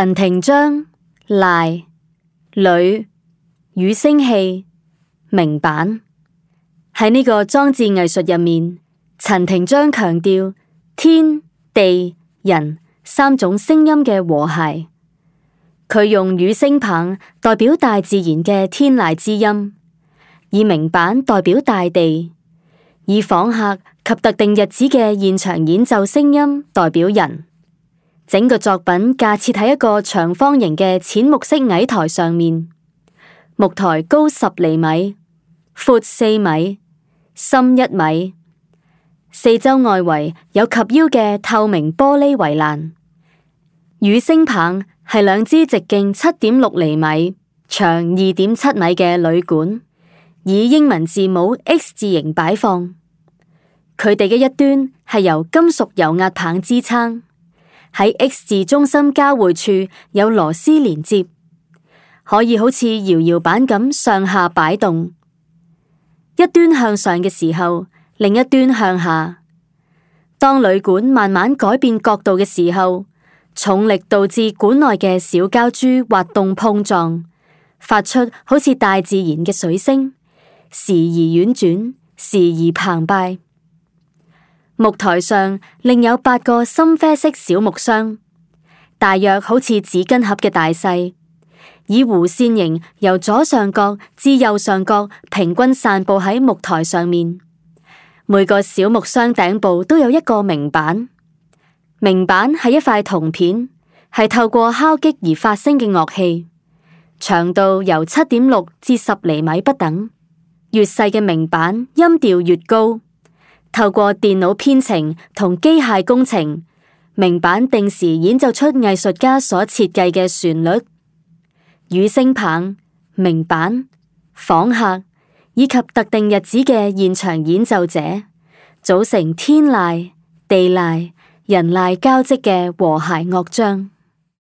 陳廷章、賴、鋁、與聲器、明板。喺呢個裝置藝術入面，陳廷章強調天地人三種聲音嘅和諧。佢用與聲棒代表大自然嘅天籟之音，以明板代表大地，以訪客及特定日子嘅現場演奏聲音代表人。整個作品架設喺一個長方形嘅淺木色矮台上面，木台高10厘米，闊4米，深1米，四周外圍有及腰嘅透明玻璃圍欄。與聲棒係兩支直徑7.6厘米、長2.7米嘅鋁管，以英文字母 X 字形擺放。佢哋嘅一端係由金屬油壓棒支撐，喺 X 字中心交匯處有螺絲連接，可以好似搖搖板咁上下擺動。一端向上嘅時候，另一端向下。當鋁管慢慢改變角度嘅時候，重力導致管內嘅小膠珠滑動碰撞，發出好似大自然嘅水聲，時而婉轉，時而澎湃。木台上另有8個深啡色小木箱，大約好似紙巾盒嘅大細，以弧線形由左上角至右上角平均散布喺木台上面。每個小木箱頂部都有一個明板，明板係一塊銅片，係透過敲擊而發聲嘅樂器，長度由7.6至10厘米不等，越細嘅明板音調越高。透過電腦編程同機械工程，明板定時演奏出藝術家所設計嘅旋律。與聲棒、明板、訪客以及特定日子嘅現場演奏者，組成天籟、地籟、人籟交織嘅和諧樂章。